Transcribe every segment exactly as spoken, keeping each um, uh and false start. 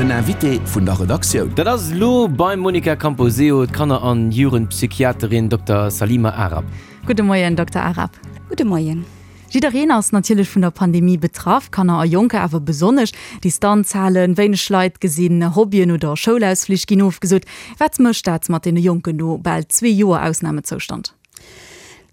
Den Invité vun der Redaktioun. Dat ass elo beim Monica Camposeo d'Kanner an Jugendpsychiaterin Dokter Salima Aarab. Gudde Moien, Dokter Aarab. Gudde Moien. Jiddereen ass natierlech vun der Pandemie betraff, Kanner a Jonker awer besonnesch. Distanz halen, wéineg Leit gesinn, Hobbyen oder Schoulausflich ginn ofgesot. Wat mécht dat mat deene Jonken no bal zwee Joer Ausnamezoustand?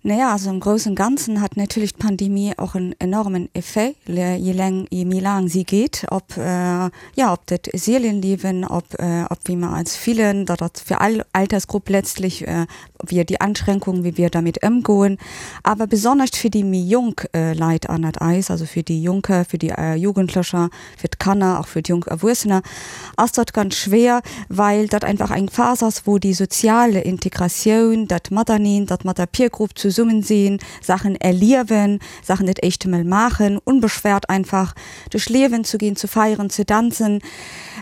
Naja, also im Großen und Ganzen hat natürlich d'Pandemie och en enormen Effet, je läng, je méi laang si geet, op, ja, op dat Seelenliewen, op, op wéi mer eis fillen, dat ass fir all Altersgrupp letztlich, wéi déi Anschränkungen, wéi wir damit ëmgoen, awer besonnesch fir déi méi jonk Leit ënnert eis, also fir déi Jonker, fir déi Jugendlecher, fir d'Kanner, och fir d'jonk Erwuessener, ass dat ganz schwéier, well dat einfach eng Phas ass, wou déi sozial Integratioun, dat Mateneen, dat mat der Peer Group zesummen sinn, Saachen erliewen, Saachen dat éischte Mol maachen, unbeschwert einfach duerch Liewen ze ginn, ze feieren, ze danzen,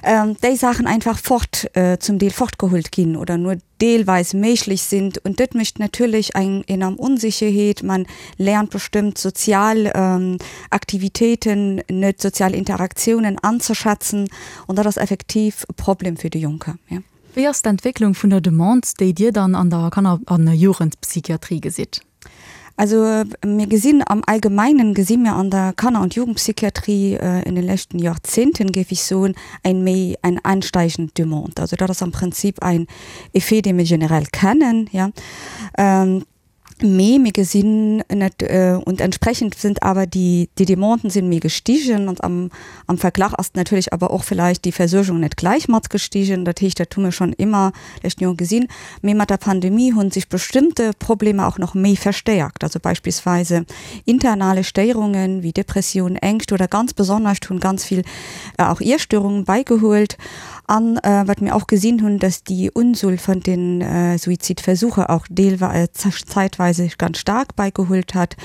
déi Saachen einfach fort, zum Deel fortgeholt ginn oder nur deelweis méiglech sinn. Und dat mécht natierlech eng enorm Onsécherheet. Man lernt bestëmmt sozial Aktivitéiten net, sozial Interaktiounen anzeschätzen und dat ass effektiv e Problem fir déi Jonker, ja. Wéi ass d'Entwécklung vun der Demande, déi Dir dann an der Kanner an Jugendpsychiatrie gesitt? Also mir gesinn am Allgemeinen gesi mir an der Kanner und Jugendpsychiatrie in den leschten Joerzehnten, géif ech soen, eng méi eng ansteigend Demande. Also dat ass am Prinzip ein Effet, dee mir generell kennen, ja. Mee mir gesinn net, und entsprechend sind awer déi déi Demanden sinn méi gestigen und am am Verglach ass natierlech awer och vielleicht déi Versuergung net gläich mat gestigen. Dat heescht, dat hu mir schonn ëmmer leschten Joer gesinn. Mee mat der Pandemie hunn sech bestëmmte Problemer och nach méi verstäerkt, also beispillsweise internale Stéierungen wéi Depressioun, Ängscht oder ganz besonnesch hunn ganz vill auch Iesstörungen beigehuelt. An wat mir och gesinn hunn, dass déi Unzuel vun den Suizidversuche auch deelweis zeitweise ganz stark beigeholt hat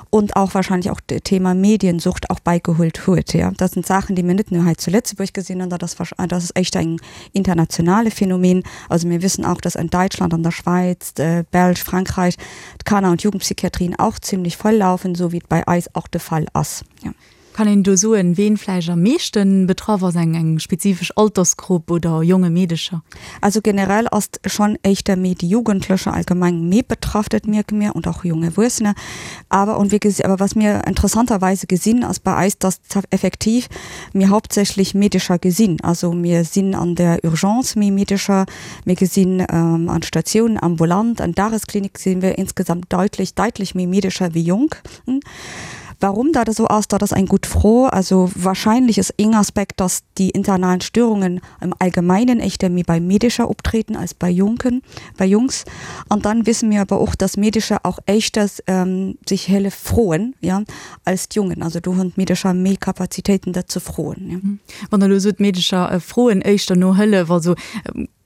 und auch wahrscheinlich auch Thema Mediensucht auch beigeholt huet. Ja. Dat sind Saachen, déi mir net nur hei zu Lëtzebuerg gesinn hunn, dat ass dat ass echt eng internationale Phänomen. Also mir wissen auch, dass an Deutschland, an der Schweiz, Belsch, Frankreich d'Kanner und Jugendpsychiatrien auch ziemlich voll laufen, so wéi et bei eis auch de Fall ass. Ja. Kann een do soen, ween vläicht am meeschten betraff ass, eng eng spezifesch Altersgrupp oder jonge Meedecher? Also generell ass schonn éischter méi déi Jugendlecher allgemeng méi betraff, dat mierke mir, und auch junge Erwuessener. Aber und wir awer was mir interessanterweise gesinn ass bei eis, dass effektiv mir hauptsächlich Meedecher gesinn. Also mir sinn an der Urgence méi Meedecher, mir gesinn an Statiounen, ambulant, an Dagesklinik sinn wir insgesamt deutlich deutlich méi Meedecher wéi Jonk. Warum dat esou ass, dat ass eng gutt Fro. Also wahrscheinlich ist een Aspekt, dass déi internalen Störungen im Allgemeinen éischter méi bei Meedecher optreten als bei Jonken, bei Jungs. An dann wissen mir awer och, dass Meedecher auch éischters ähm, sich Hëllef froen, ja, als d'Jungen. Also do hunn d'Meedecher méi Kapazitéiten dat ze froen. Ja. Wann Der elo sot, d'Meedecher froen éischter no Hëllef, also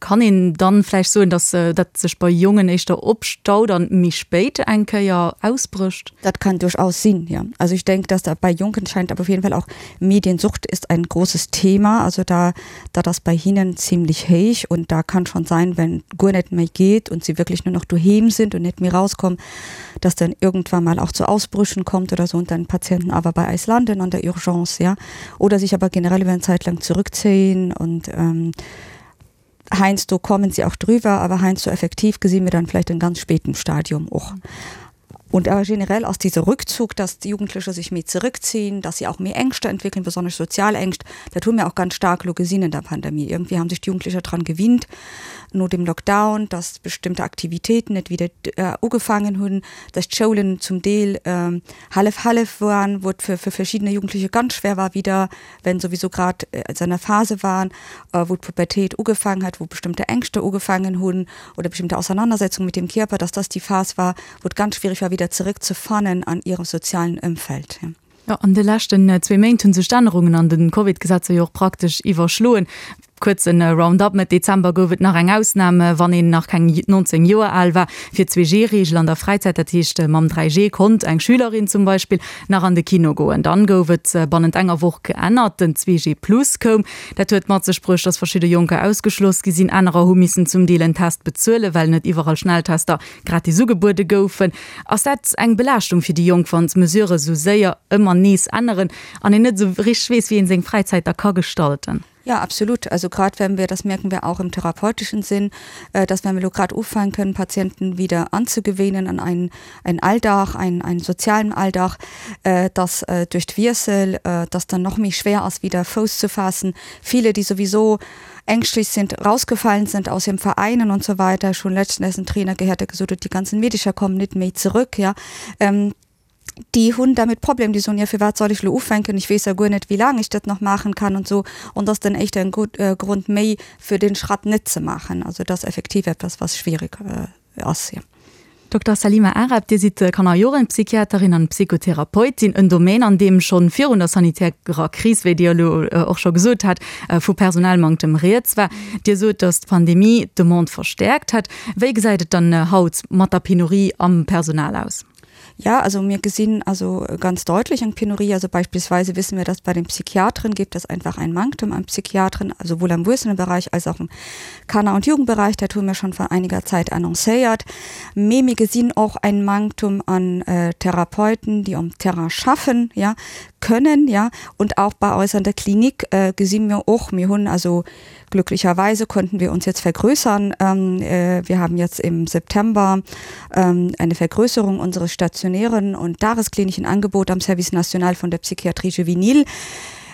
Kann een dann vläicht soen, dass dat sech bei Jongen éischter opstaut an méi spéit eng Kéier ausbrécht? Dat kann durchaus sinn, ja. Also ich denke, dass da bei Jonken scheint aber auf jeden Fall auch Mediensucht ist ein großes Thema, also da da das bei hinnen ziemlich héich und da kann schon sein, wenn guer net méi geet und sie wirklich nur noch doheem sind und net méi rauskommen, dass dann irgendwann mal auch zu Ausbrüchen kommt oder so und dann Patienten awer bei eis landen an der Urgence, ja, oder sich aber generell über eine Zeit lang zurückziehen und ähm, heiansdo kommen sie auch drüber, aber heiansdo effektiv gesinn mir dann vielleicht in ganz spätem Stadium och. Und awer generell ass dieser Rückzug, dass d'Jugendlecher sich méi zurückziehen, dass sie auch méi Ängschte entwickeln, besonnesch sozial Ängscht, dat hu mir auch ganz stark elo gesinn in der Pandemie. Irgendwie haben sich d'Jugendlecher dran gewinnt no dem Lockdown, dass bestimmte Aktivitäten net wieder ugefaangen hunn, dass d'Schoulen zum Deel hallef-hallef waren, wou et fir fir verschiddene Jugendliche ganz schwer war wieder, wenn sowieso grad se an der Phase waren, wou d'Pubertéit ugefaangen hat, wou bestimmte Ängschte ugefaangen hunn oder bestimmte Auseinandersetzungen mit dem Kierper, dass das die Phase war, wou et ganz schwierig war wieder zurückzufannen an ihrem sozialen Ëmfeld. Jo, an de leschten zwee Méint hu sech d'Ännerungen an de Covid-Gesetzer jo och praktesch iwwerschloen. Kuerze Roundup, Mëtt Dezember gouf et nach eng Ausnam, wann een nach keng neunzéng Joer al war, fir d'Zwee-G-Reegel an der Fräizäit. Dat heescht, mam dräi G konnt eng Schülerin zum Beispill nach an de Kino goen. Dann gouf et bannent enger Woch geännert, den Zwee G plus koum. Dat huet mat sech bruecht, datt verschidde Jonker ausgeschloss gi sinn. Anerer hu missen zum Deel en Test bezuelen, well net iwwerall Schnelltester gratis ugebuede goufen. Ass dat eng Belaaschtung fir déi Jonk, wann d'Mesurë sou séier ëmmer nees änneren an een net sou richteg weess, wéi een seng Fräizäit da ka gestalten? Ja, absolut. Also grad wenn wir, das merken wir auch im therapeutischen Sinn, äh, dass wenn wir grad ufänken, Patienten wieder anzugewöhnen an einen, einen Alldag, einen, einen sozialen Alldag, äh, dass äh, durch d'Wiessel, äh, dass dann noch méi schwer ass wieder Fouss zu fassen. Viele, die sowieso ängstlich sind, rausgefallen sind aus den Vereinen und so weiter, schon letztens en Trainer gehat, der gesot huet, die ganzen Meedecher kommen net méi zurück, ja. Ähm, déi hunn damit Problem, déi soen, ja firwat soll ech lo ufänken, ich weess ja guer net wéi laang ech dat nach maachen kann und so und das dann echt en gut äh, Grund méi fir den Schratt net ze maachen. Also dat ass effektiv etwas was schwierig äh, ass, ja. Dokter Salima Aarab, Dir sidd Kanner-Jugendpsychiaterin an Psychotherapeutin, en Domaine an deem schonn virun der sanitärer Kris, wéi Dir elo och scho gesot hat, vu Personalmanktem rieds war. Dir sot, datt d'Pandemie d'Demande verstäerkt hätt. Wéi gesäit et dann haut mat der Penurie am Personal aus? Ja, also mir gesinn also ganz deutlich eng Penurie. Also beispielsweise wissen wir, dass bei den Psychiatren gibt es einfach einen Manktum an Psychiatren, sowohl am Erwachsenenbereich als auch im Kanner- und Jugendbereich. Dat hu mir schon vor einiger Zeit annoncéiert. Mee mir gesinn och ein Manktum an äh, Therapeuten, déi um Terrain schaffen, ja, können, ja, und auch bei eis an der Klinik äh, gesi mir och, mir hunn also glücklicherweise konnten wir uns jetzt vergrößern. Ähm, äh, wir haben jetzt im September ähm, eine Vergrößerung unseres stationären und tagesklinischen Angebot am Service national von der Psychiatrie juvénile,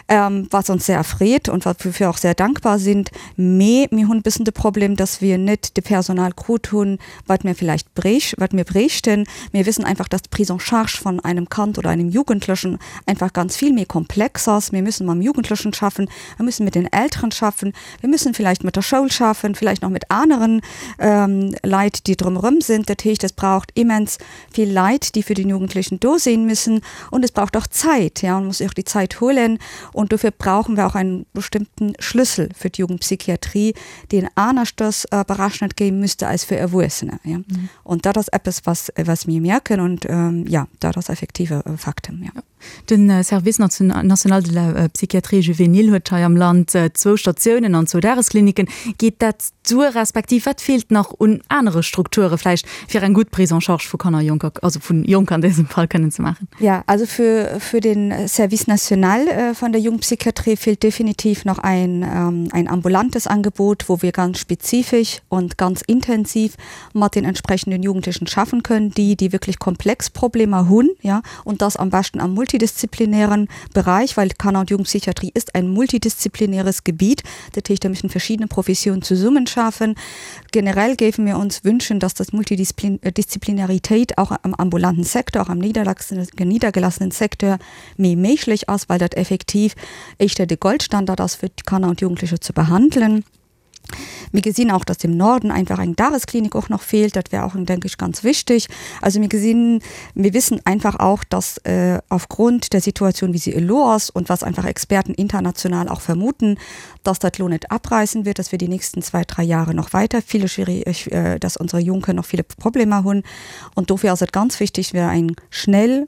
ähm, was uns sehr erfreet und wofür wir auch sehr dankbar sind. Mee mir hunn bëssen de Problem, dass wir net de Personal krut hunn, wat mir vielleicht bréich, wat mir bréichten. Mir wissen einfach, dass d'Prise en charge von einem Kand oder einem Jugendlichen einfach ganz viel méi komplex ass. Mir müssen mam Jugendlichen schaffen, wir müssen mit den Elteren schaffen, wir müssen vielleicht mit der Schoul schaffen, vielleicht noch mit aneren ähm, Leit, déi drumherum sind. Dat heescht, es braucht immens vill Leit, déi fir den Jugendlichen do sinn müssen und es braucht auch Zeit, ja, man muss sich auch die Zeit holen und dofir brauchen wir auch einen bestimmten Schlüssel für die Jugendpsychiatrie, deen aneschters äh, berechnet ginn müsste als für Erwuessene. Ja. Mhm. Und dat ass eppes, was, was mir mierken und ähm, ja, dat ass effektive äh, Fakten. Ja. Ja. Den äh, Service national de la äh, Psychiatrie juvénile huet hei am Land äh, zwou Statiounen an zwou Dageskliniken. Geet dat duer respektiv wat feelt nach un anere Strukture vläicht fir eng gutt Prise en charge vu Kanner, Jonker, also vun Jonker an dësem Fall kënnen ze maachen? Ja, also für, für den Service national äh, von der Jugendpsychiatrie fehlt definitiv noch ein, ähm, ein ambulantes Angebot, wo wir ganz spezifisch und ganz intensiv mat den entsprechenden Jugendlichen schaffen können, die, die wirklich komplex Problemer hunn, ja, und das am beschten am multidisziplinären Bereich, weil Kanner- und Jugendpsychiatrie ist ein multidisziplinäres Gebiet. Dat heescht, da müssen verschiedene Professionen zusammenschaffen. Generell géife mir uns wünschen, dass das Multidisziplinarität auch am ambulanten Secteur, auch am niedergelassenen Secteur méi méiglech ass, weil dat effektiv éischter de Goldstandard ass fir d'Kanner und Jugendliche zu behandeln. Mir gesinn auch, dass im Norden einfach eng Dagesklinik och nach feelt. Dat wär och, denke ich, ganz wichtig. Also mir gesinn, mir wissen einfach auch, dass äh, aufgrund der Situation, wie sie elo ass und was einfach Experten international auch vermuten, dass dat lo net abreißen wird, dass wir die nächsten zwei, drei Jahre noch weiter viele schwierig, äh, dass unsere Junge noch viele Probleme hunn. Und dofir ass et ganz wichtig, wir eng schnell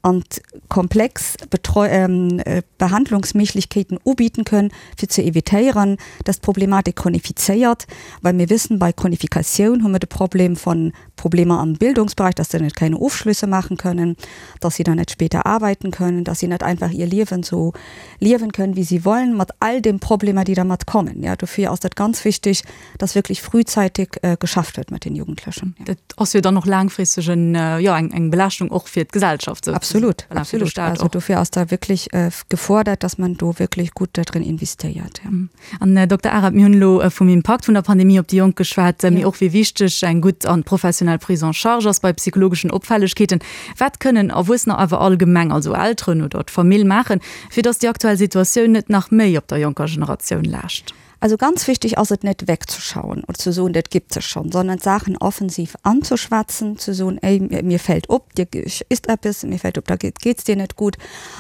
und komplex Betreu ähm, äh, Behandlungsméiglechkeeten ubieden können, fir ze evitéieren, dass d'Problematik chronifizéiert, well mir wissen, bei Chronifikatioun hu mir de Problem von Problemer am Bildungsbereich, dass sie net keine Ofschlüsse machen können, dass sie dann net später arbeiten können, dass sie net einfach ihr Liewen so liewen können, wie sie wollen, mat all den Problemer, die dermat kommen. Ja, dofir ass dat ganz wichtig, dass wirklich frühzeitig äh, geschafft wird mit den Jugendlichen. Ja. Dat ass jo dann och laangfristeg en, äh, ja, eng, eng Belaaschtung och fir d'Gesellschaft. Absolut, absolut. Also dofir ass da wirklich äh, gefordert, dass man do wirklich gut da drin investéiert. Ja. Mhm. An äh, Dokter Arab, mir hunn elo äh, vum Impakt vun der Pandemie op déi Jonk geschwat, äh, mee och wéi wichteg eng gutt an professionell Prise en charge ass bei psychologeschen Opfällegkeeten. Wat kënnen Erwuessener awer allgemeng, also Elteren oder d'Famill maachen, fir dass déi aktuell Situatioun net nach méi op der jonker Generatioun laascht? Also ganz wichtig ass et net wegzeschauen und ze soen, dat gibt es schon, sondern Saachen offensiv anzuschwätzen, ze soen, ey, mir, mir fällt op, dir ist eppes, mir fällt op, da geht, geht's dir net gut.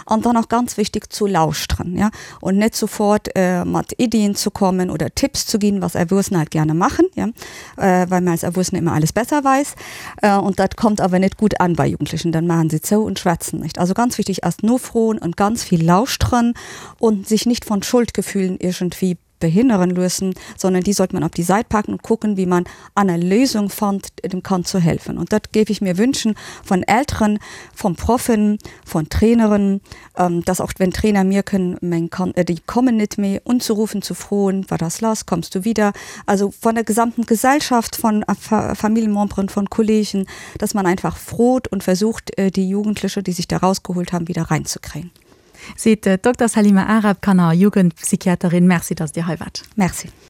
Und dann auch ganz wichtig zu lauschteren, ja, und net sofort äh, mat Iddien zu kommen oder Tipps zu ginn, was Erwuessener halt gerne machen, ja, äh, weil man als Erwuessener immer alles besser weiß. Äh, und dat kommt aber net gut an bei Jugendlichen, dann machen sie zou und schwätzen nicht. Also ganz wichtig erst nofroen und ganz viel lauschteren und sich nicht von Schuldgefühlen irgendwie behindern lösen, sondern die sollte man auf die Seite packen und gucken, wie man eine Lösung fand, dem Kand zu helfen. Und das gebe ich mir wünschen von Eltern, von Profen, von Trainerinnen, ähm, dass auch wenn Trainer mir können, mein kann, äh, die kommen nicht mehr unzurufen zu frohen, war das los, kommst du wieder. Also von der gesamten Gesellschaft, von äh, Familienmembren, von Kollegen, dass man einfach froht und versucht, äh, die Jugendliche, die sich da rausgeholt haben, wieder reinzukriegen. Seet d'Dokter Salima Aarab, Kanner a Jugendpsychiaterin. Merci, dass Dir hei waart. Merci.